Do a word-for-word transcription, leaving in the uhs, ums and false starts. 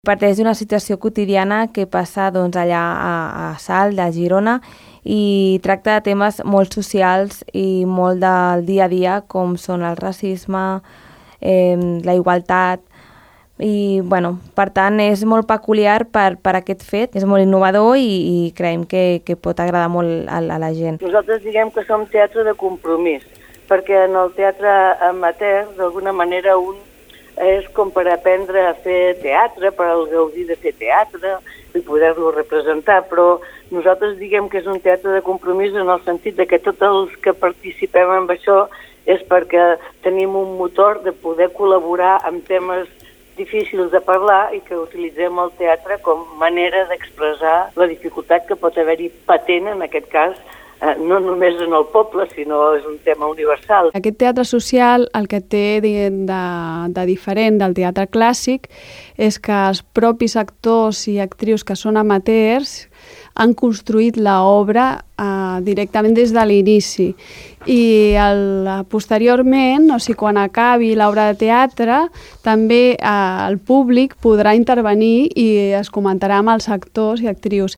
Parteix d'una situació quotidiana que passa doncs, allà a, a Salt, a Girona, i tracta de temes molt socials i molt del dia a dia, com són el racisme, eh, la igualtat, i bueno, per tant és molt peculiar per, per aquest fet, és molt innovador i, i creiem que, que pot agradar molt a, a la gent. Nosaltres diguem que som teatre de compromís, perquè en el teatre amateur d'alguna manera un és com per aprendre a fer teatre, per al gaudir de fer teatre i poder-lo representar, però nosaltres diguem que és un teatre de compromís en el sentit de que tots els que participem en això és perquè tenim un motor de poder col·laborar amb temes difícils de parlar i que utilitzem el teatre com manera d'expressar la dificultat que pot haver-hi patent, en aquest cas, eh, no només en el poble, sinó és un tema universal. Aquest teatre social el que té de, de diferent del teatre clàssic és que els propis actors i actrius que són amateurs han construït l'obra eh, directament des de l'inici i el, posteriorment, o sigui, quan acabi l'obra de teatre, també eh, el públic podrà intervenir i es comentarà amb els actors i actrius.